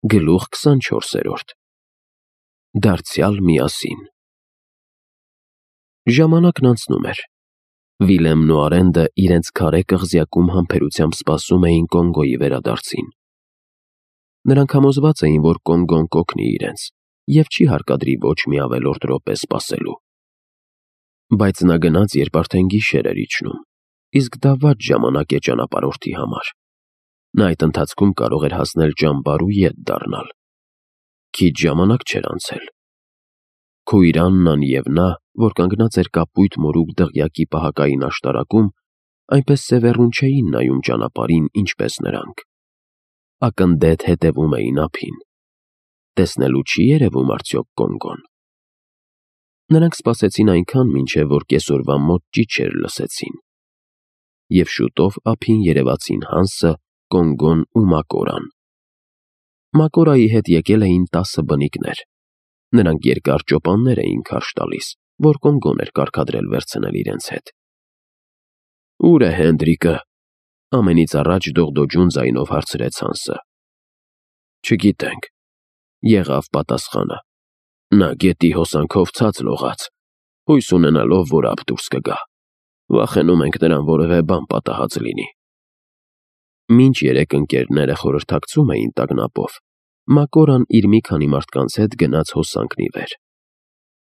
Գլուխ 24-րդ Դարձյալ միասին։ Ժամանակն անցնում էր։ Վիլեմն ու Արենդը իրենց քարե կղզյակում համբերությամբ սպասում էին Կոնգոյի վերադարձին։ Նրանք համոզված էին, որ Կոնգոն կօգնի իրենց և չի հարկադրի ոչ մի ավելորդ րոպե սպասելու։ Բայց նա գնաց, երբ արդեն գիշեր էր իջնում, իսկ դա վատ ժամանակ է ճանապարհորդի համար։ Նա այդ ընթացքում կարող էր հասնել ճամբար ու ետ դառնալ։ Քիչ ժամանակ չէր անցել։ Քույրն և նա, որ կանգնած էր կապույտ մորուք դղյակի պահակային աշտարակում, այնպես սևեռուն չէին նայում ճանապարհին, ինչպես նրանք։ Ակնդեթ հետևում էին ափին։ Տեսնելու չի երևում արդյոք Կոնգոն։ Նրանք սպասեցին այնքան, մինչև որ կեսօրվա մոտ ճիչեր լսեցին։ Եվ շուտով ափին երևացին Հանսը, Կոնգոն ու Մակորան։ Մակորայի հետ եկել էին 10 բնիկներ։ Նրանք երկար ճոպաններ էին քարշ տալիս, որ Կոնգոն էր կարգադրել վերցնել իրենց հետ։ «Ո՞ւր է Հենդրիկը», ամենից առաջ դողդոջուն ձայնով հարցրեց Հանսը։ «Չգիտենք», եղավ պատասխանը։ «Նա գետի հոսանքով ցած լողաց, հույս ունենալով, որ ափ դուրս կգա։ Վախենում ենք նրան որևէ բան պատահած լինի»։ Մինչ երեք ընկերները խորհրդակցում էին տագնապով, Մակորան իր մի քանի մարդկանց հետ գնաց հոսանքն ի վեր։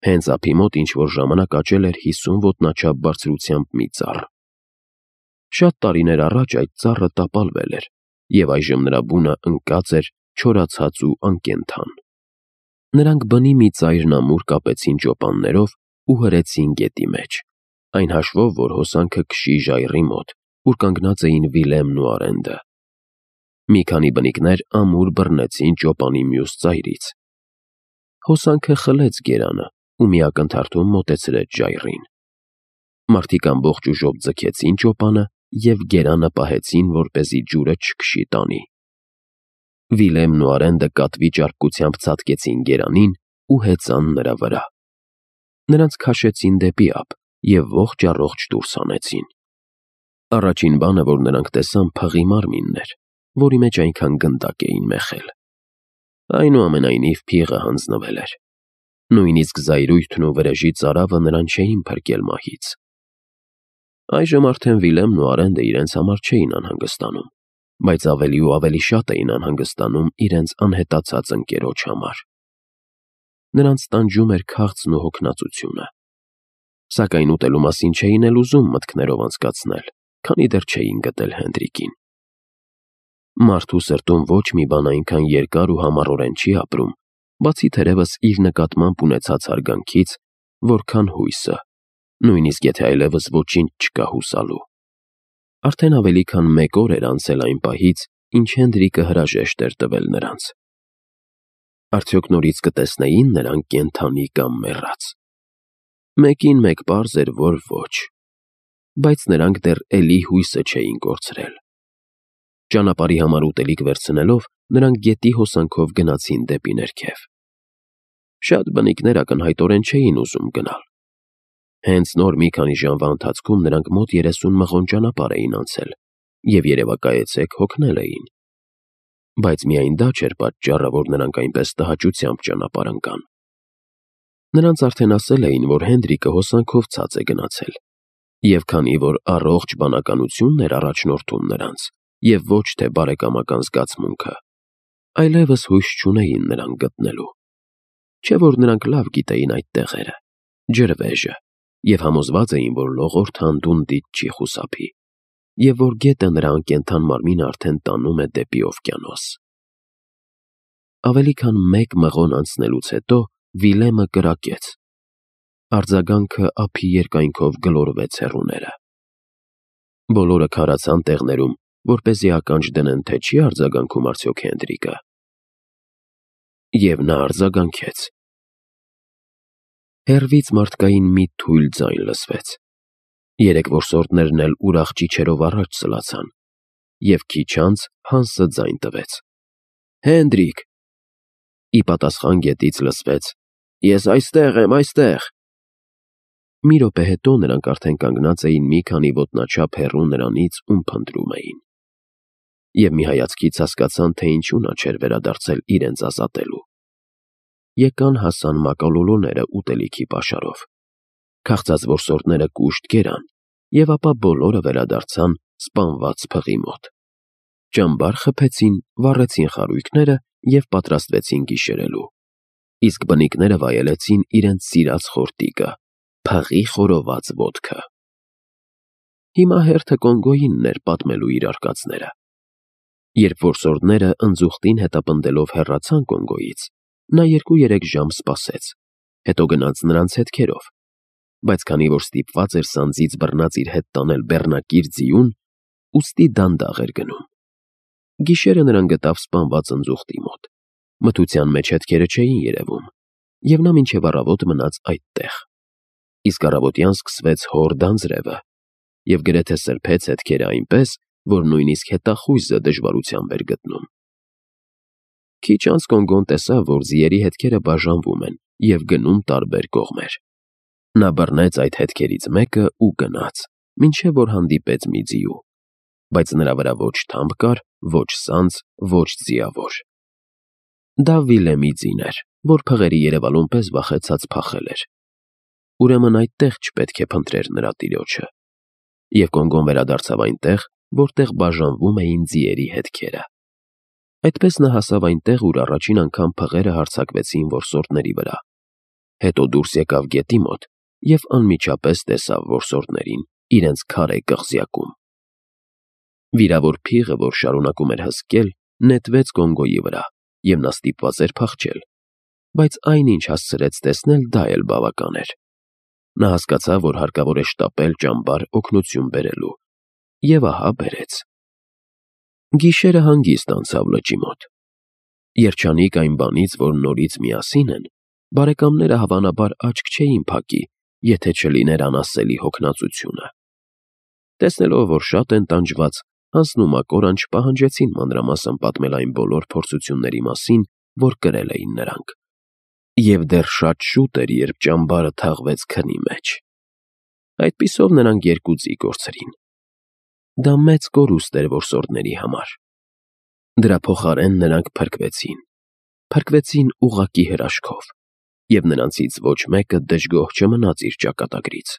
Հենց ափի մոտ ինչ-որ ժամանակ աճել էր 50 ոտնաչափ բարձրությամբ մի ծառ։ Շատ տարիներ առաջ այդ ծառը տապալվել էր, և այժմ նրա բունը ընկած էր, չորացած ու անկենդան։ Նրանք բնի մի ծայրն ամուր կապեցին ճոպաններով ու հրեցին գետի մեջ, այն հաշվով, որ հոսանքը քշի ժայռի մոտ, ուր կանգնած էին Վիլեմն ու Արենդը։ Մի քանի բնիկներ ամուր բռնեցին ճոպանի մյուս ծայրից։ Հոսանքը խլեց գերանը ու մի ակնթարթում մոտեցրեց ժայռին։ Մարդիկ ամբողջ ուժով ձգեցին ճոպանը և գերանը պահեցին, որպեսզի ջուրը չքշի տանի։ Վիլեմն ու Արենդը կատվի ճարպկությամբ ցատկեցին գերանին ու հեծան նրա վրա։ Նրանց քաշեցին դեպի ափ և ողջ-առողջ դուրս հանեցին։ Առաջին բանը, որ նրանք տեսան, փղի մարմինն էր, որի մեջ այնքան գնդակ էին մեխել։ Այնուամենայնիվ փիղը հանձնվել էր։ Նույնիսկ զայրույթն ու վրեժի ծարավը նրան չէին փրկել մահից։ Այժմ արդեն Վիլեմն ու Արենդը իրենց համար չէին անհանգստանում, բայց ավելի ու ավելի շատ էին անհանգստանում իրենց անհետացած ընկերոջ համար։ Նրանց տանջում էր քաղցն ու հոգնածությունը։ Սակայն ուտելու մասին չէին էլ ուզում մտքներով անցկացնել, քանի դեռ չէին գտել Հենդրիկին։ Մարդու սրտում ոչ մի բան այնքան երկար ու համառորեն չի ապրում, բացի թերևս իր նկատմամբ ունեցած հարգանքից, որքան հույսը, նույնիսկ եթե այլևս ոչինչ չկա հուսալու։ Արդեն ավելի քան 1 օր էր անցել այն պահից, ինչ Հենդրիկը հրաժեշտ էր տվել նրանց։ Արդյոք նորից կտեսնեին նրան կենդանի կամ մեռած։ Մեկին մեկ պարզ էր, որ ոչ, բայց նրանք դեռ էլի հույսը չէին կորցրել։ Ճանապարհի համար ուտելիք վերցնելով, նրանք գետի հոսանքով գնացին դեպի ներքև։ Շատ բնիկներ ակնհայտորեն չէին ուզում գնալ։ Հենց նոր մի քանի ժամվա ընթացքում նրանք մոտ 30 մղոն ճանապարհ էին անցել և երևակայեցեք հոգնել էին։ Բայց միայն դա չէր պատճառը, որ նրանք այնպես տհաճությամբ ճանապարհ ընկան։ Նրանց արդեն ասել էին, որ Հենդրիկը հոսանքով ցած է գնացել, և քանի որ առողջ բանականությունն էր առաջնորդում նրանց, և ոչ թե բարեկամական զգացմունքը, այլևս հույս չունեին նրան գտնելու։ Չէ՞ որ նրանք լավ գիտեին այդ տեղերը, ջրվեժը, և համոզված էին, որ լողորդ անդունդից չի խուսափի, և որ գետը նրա անկենդան մարմինը արդեն տանում է դեպի օվկիանոս։ Ավելի քան 1 մղոն անցնելուց հետո Վիլեմը կրակեց։ Արձագանքը ափի երկայնքով գլորվեց հեռուները։ Բոլորը քարացան տեղներում, որպեսզի ականջ դնեն, թե չի արձագանքում արդյոք Հենդրիկը։ Եվ նա արձագանքեց։ Հեռվից մարդկային մի թույլ ձայն լսվեց։ 3 որսորդներն էլ ուրախ ճիչերով առաջ սլացան, և քիչ անց Հանսը ձայն տվեց. «Հենդրիկ»։ Ի պատասխան գետից լսվեց. «Ես այստեղ եմ, այստեղ»։ Մի րոպե հետո նրանք արդեն կանգնած էին մի քանի ոտնաչափ հեռու նրանից, ում փնտրում էին։ և մի հայացքից հասկացան, թե ինչու նա չէր վերադարձել իրենց ազատելու։ Եկան հասան մակալոլոները ուտելիքի պաշարով։ Քաղցած որսորդները կուշտ կերան, և ապա բոլորը վերադարձան սպանված փղի մոտ։ Ճամբար խփեցին, վառեցին խարույկները և պատրաստվեցին գիշերելու։ Իսկ բնիկները վայելեցին իրենց սիրած խորտիկը՝ փղի խորոված ոտքը։ Հիմա հերթը Կոնգոյինն էր պատմելու իր արկածները։ Երբ որսորդները ընձուղտին հետապնդելով հեռացան Կոնգոյից, նա 2-3 ժամ սպասեց, հետո գնաց նրանց հետքերով, բայց քանի որ ստիպված էր սանձից բռնած իր հետ տանել բեռնակիր ձիուն, ուստի դանդաղ էր գնում։ Գիշերը նրան գտավ սպանված ընձուղտի մոտ։ Մթության մեջ հետքերը չէին երևում, և նա մինչև առավոտ մնաց այդտեղ։ Իսկ առավոտյան սկսվեց հոր դանձրևը և գրեթե սրբեց հետքերը այնպես, որ նույնիսկ հետախույզը դժվարությամբ էր գտնում։ Քիչ անց Կոնգոն տեսավ, որ ձիերի հետքերը բաժանվում են և գնում տարբեր կողմեր։ Նա բռնեց այդ հետքերից մեկը ու գնաց, մինչև որ հանդիպեց մի ձիու, բայց նրա վրա ոչ թամփ կար, ոչ սանձ, ոչ ձիավոր։ Դա Վիլեմի ձին էր, որ փղերի երևալուն պես վախեցած փախել էր։ Ուրեմն այդտեղ չպետք է փնտրեր նրա տիրոջը։ Եվ Կոնգոն վերադարձավ այնտեղ, որտեղ բաժանվում էին ձիերի հետքերը։ Այդպես նա հասավ այնտեղ, ուր առաջին անգամ փղերը հարձակվեցին որսորդների վրա։ Հետո դուրս եկավ գետի մոտ և անմիջապես տեսավ որսորդներին իրենց քարե կղզյակում։ Վիրավոր փիղը, որ շարունակում էր հսկել, նետվեց Կոնգոյի վրա, և նա ստիպված էր փախչել, բայց այն, ինչ հասցրեց տեսնել, դա էլ բավական էր։ Նա հասկացավ, որ հարկավոր է շտապել ճամբար օգնություն բերելու, և ահա բերեց։ Գիշերը հանգիստ անցավ լճի մոտ։ Երջանիկ այն բանից, որ նորից միասին են, բարեկամները հավանաբար աչք չէին փակի, եթե չլիներ անասելի հոգնածությունը։ Տեսնելով, որ շատ են տանջված, Հանսն ու Մակորան չպահանջեցին մանրամասն պատմել այն բոլոր փորձությունների մասին, որ կրել էին նրանք։ Եվ դեռ շատ շուտ էր, երբ ճամբարը թաղվեց քնի մեջ։ Այդպիսով նրանք 2 ձի կորցրին։ Դա մեծ կորուստ էր որսորդների համար։ Դրա փոխարեն նրանք փրկվեցին ուղղակի հրաշքով, և նրանցից ոչ մեկը դժգոհ չմնաց իր ճակատագրից։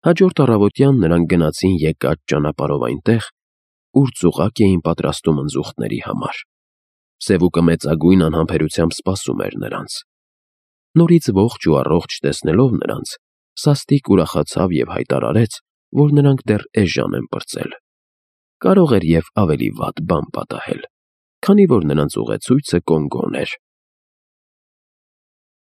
Հաջորդ առավոտյան նրանք գնացին եկած ճանապարհով այնտեղ, ուր ծուղակ էին պատրաստում ընձուղտների համար։ Սևուկը մեծագույն անհամբերությամբ սպասում էր նրանց։ Նորից ողջ ու առողջ տեսնելով նրանց, սաստիկ ուրախացավ և հայտարարեց, որ նրանք դեռ էժան են պրծել։ Կարող էր և ավելի վատ բան պատահել, քանի որ նրանց ուղեցույցը Կոնգոն էր։